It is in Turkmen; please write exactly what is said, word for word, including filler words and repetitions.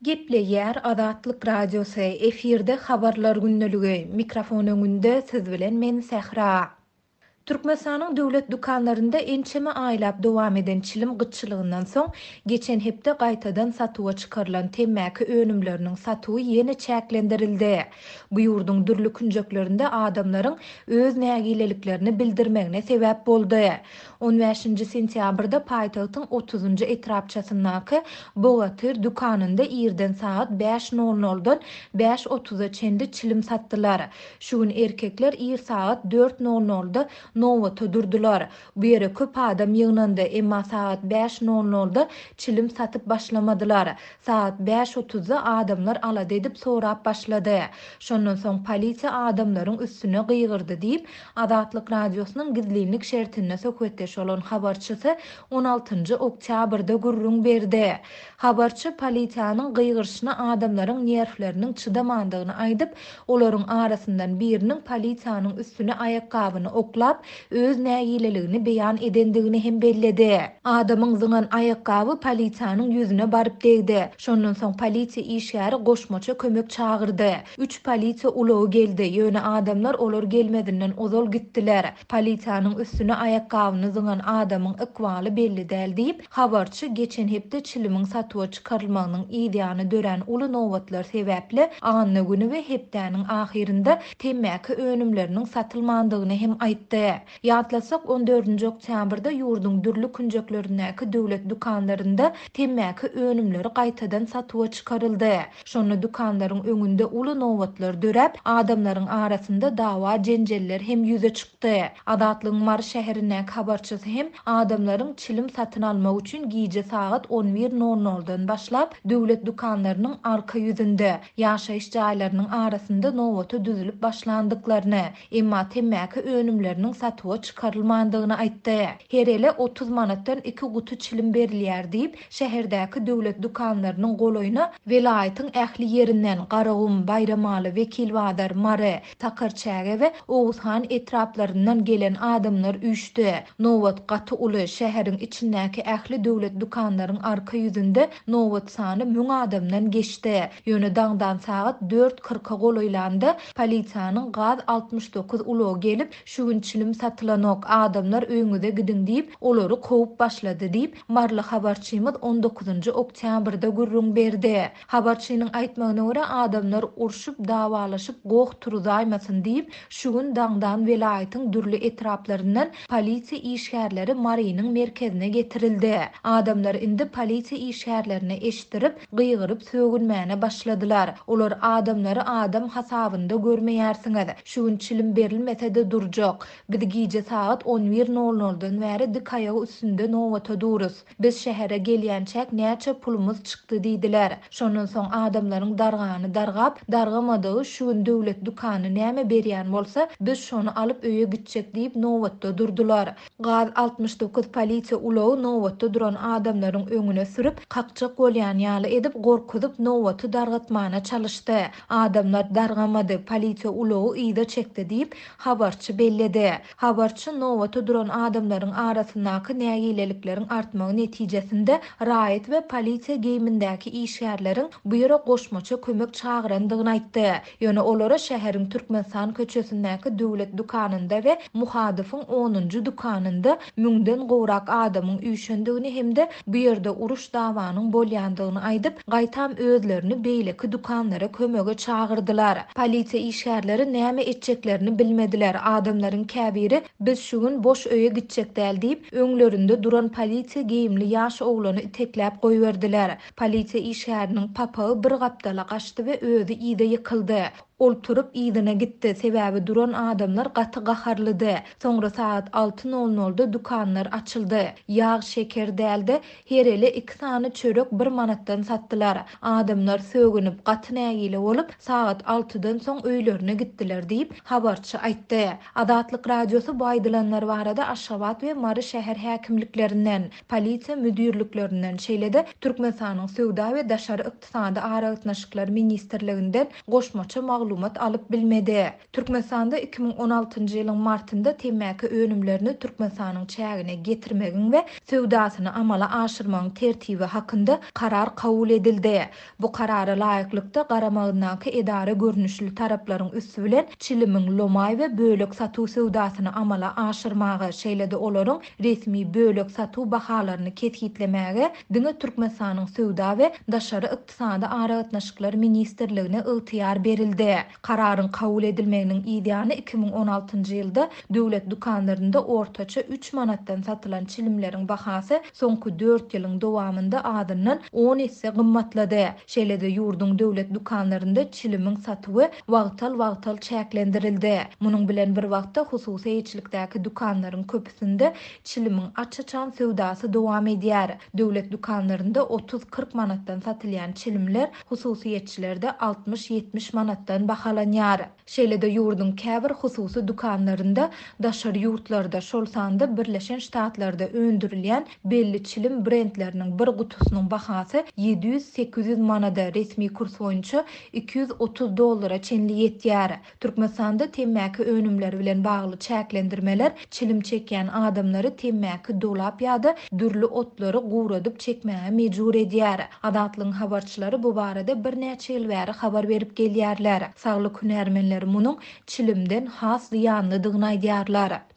Gepleýär Azatlyk Radiosy, efirde Habarlar gündeligi, mikrofon öňünde siz bilen men Sähra. Türkmenistanyň döwlet dükanlarynda ençeme aýlap dowam eden çilim gytçylygyndan soň, geçen hepde gaýtadan satuwa çykarylan temmäki önümleriniň satuwy ýene çäklendirildi. Bu ýurduň dürli künjeklerinde adamlaryň öz nägileliklerini bildirmegine sebäp boldy. On bäşinji sentýabrda paýtagtyň otuzynjy etrapçasyndaky Bogatyr dükanynda irden sagat bäş nol noldan bäş otuza çenli çilim satdylar. Şu gün erkekler ir sagat dört nol nolda nobata durdular. Bu ýere köp adam ýygnandy, emma sagat bäş nol nolda çilim satyp başlamadylar. Sagat bäş otuzda adamlar alada edip sorap başlady. Şondan soň polisiýa adamlaryň üstüne gygyrdy diýip, Azatlyk Radiosynyň gizlinlik şertinde söhbetdeş bolan habarçysy on altynjy oktýabrda gürrüň berdi. Habarçy polisiýanyň gygyryşyna adamlaryň nerwleriniň çydamandygyny aýdyp, olaryň arasyndan biriniň polisiýanyň üstüne aýakgabyny oklap, öz nägileligini beýan edendigini hem belledi. Adamyň zyňan aýakgaby polisiýanyň ýüzüne baryp degdi. Şondan soň polisiýa işgäri goşmaça kömek çagyrdy. Üç polisiýa ulagy geldi, ýöne adamlar olar gelmezinden ozal gitdiler. Polisiýanyň üstüne aýakgabyny zyňan adamyň ykbaly belli däl diýip, habarçy geçen hepde çilimiň satuwa çykarylmagynyň ýany dörän uly nobatlar sebäpli anna güni we hepdäniň ahyrynda temmäki önümleriniň satylmandygyny hem aýtdy. Ýatlasak, on dördünji oktýabrda ýurduň dürli künjeklerindäki döwlet dükanlarynda temmäki önümleri gaýtadan satuwa çykaryldy. Şonda dükanlaryň öňünde uly nobatlar döräp, adamlaryň arasynda dawa jenjeller hem ýüze çykdy. Azatlygyň Mary şäherindäki habarçysy hem adamlaryň çilim satyn almak üçin gije sagat on bir nol noldan başlap döwlet dükanlarynyň arka ýüzünde, ýaşaýyş jaýlarynyň arasynda nobata düzülip başlandyklaryny, emma temmäki önümleriniň satuwa çykarylmandygyny aýtdy. Her ele otuz manatdan iki guty çilim berilýär diýip, şäherdäki döwlet dükanlarynyň golaýyna welaýatyň ähli ýerinden Garagum, Baýramaly, Wekilbazar, Mary, Takarçäge we Oguzhan etraplaryndan gelen adamlar üýşdi. Nobat gaty uly, şäheriň içindäki ähli döwlet dükanlaryň arka ýüzünde nobat sany müň adamdan geçdi. Ýöne daňdan sagat dört kyrka golaýlanda polisiýanyň gaz altmyş dokuz ulagy gelip, şu gün çilim satylanok, adamlar öýüňize gidiň diýip, olary kowup başlady diýip, Marly habarçymyz on dokuzynjy oktýabrda gürrüň berdi. Habarçynyň aýtmagyna görä adamlar urşup, dawalaşyp, goh turuzaýmasyn diýip, şu gün daňdan welaýatyň dürli etraplaryndan polisiýa işgärleri Marynyň merkezine getirildi. Adamlar indi polisiýa işgärlerine eşitdirip, gygyryp sögünmäne başladylar. Olar adamlary adam hasabynda görmeýärsiňiz. Şu gün çilim berilmese-de durjak. Biz gije sagat on bir nol noldan bäri dik aýagy üstünde nobata duruz. Biz şähere gelýänçäk näçe pulumyz çykdy diýdiler. Şondan soň adamlaryň dargany dargap, dargamadygy şu gün döwlet dükany näme berýän bolsa, biz şony alyp öýe gitjek diýip nobatda durdular. Gaz altmyş dokuz polisiýa ulagy nobatda duran adamlaryň öňüne sürüp, kakjak bolýan ýaly edip gorkuzyp nobaty dargatmana çalyşdy. Adamlar dargamady, polisiýa ulagy yza çekdi diýip habarçy belledi. Habarçy nobata duran adamlaryň arasyndaky nägilelikleriň artmagy netijesinde raýat we polisiýa geýimindäki işgärleriň bu ýere goşmaça kömek çagyrandygyny aýtdy. Ýöne olara şäheriň Türkmenistan köçesindäki döwlet dükanynda we Muhadowyň onunjy dükanynda müňden gowrak adamyň üýşendigini hem-de bu ýerde uruş dawanyň bolýandygyny aýdyp, gaýtam özlerini beýleki dükanlara kömege çagyrdylar. Polisiýa işgärleri näme etjeklerini bilmediler. Adamlaryň käbiri biz şu gün boş öýe gitjek däl diýip, öňlerinde duran polisiýa geýimli ýaş oglany itekläp goýberdiler. Polisiýa işgäriniň papagy bir gapdala gaçdy we özi ýyda ýykyldy. Ol turup ýygyna gitdi, sebäbi duran adamlar gaty gaharlydy. Soňra saat alty nol nolda dükanlar açyldy. Ýag, şeker däldi, her ele iki sany çörek bir manatdan satdylar. Adamlar sögünip, gaty nägile bolup, saat altydan soň öýlerine gitdiler diýip, habarçy aýtdy. Azatlyk Radiosy bu aýdylanlar barada Aşgabat we Mary şäher häkimliklerinden, polisiýa müdirliklerinden, şeýle-de Türkmenistanyň Söwda we Daşary Ykdysady Aragatnaşyklar Ministrliginden goşmaça maglumat maglumat alyp bilmedi. Türkmenistanda iki müň on altynjy ýylyň martynda temmäki önümlerini Türkmenistanyň çägine getirmegiň we söwdasyny amala aşyrmagyň tertibi hakynda karar kabul edildi. Bu karara laýyklykda garamagyndaky edara görnüşli taraplaryň üsti bilen çilimiň lomaý we bölek satuw söwdasyny amala aşyrmaga, şeýle-de olaryň resmi bölek satuw bahalaryny kesgitlemäge diňe Türkmenistanyň Söwda we Daşary ykdysady aragatnaşyklar ministrligine ygtyýar berildi. Kararyň kabul edilmeginiň ýany iki müň on altynjy ýylda döwlet dükanlarynda ortaça üç manatdan satylan çilimleriň bahasy soňky dört ýylyň dowamynda azyndan on esse gymmatlady. Şeýle-de ýurduň döwlet dükanlarynda çilimiň satuwy wagtal-wagtal çäklendirildi. Munuň bilen bir wagtda hususy eýeçilikdäki dükanlaryň köpüsinde çilimiň aç-açan söwdasy dowam edýär. Döwlet dükanlarynda otuz-kyrk manatdan satylýan çilimler hususyýetçilerde altmyş-ýetmiş manatdan bahalanýar. Şeýle-de ýurduň käbir hususy dükanlarynda daşary ýurtlarda, şol sanda Birleşen Ştatlarda öndürilýän belli çilim brendleriniň bir gutusynyň bahasy ýedi ýüz-sekiz ýüz manada, resmi kurs boýunça iki ýüz otuz dollara çenli ýetýär. Türkmenistanda temmäki önümleri bilen bagly çäklendirmeler çilim çekýän adamlary temmäki dolap ýa-da dürli otlary guradyp çekmäge mejbur edýär. Azatlygyň habarçylary bu barada birnäçe ýyl bäri habar berip gelýärler. Saglyk hünärmenleri munuň çilimden has zyýanlydygyny aýdýarlar.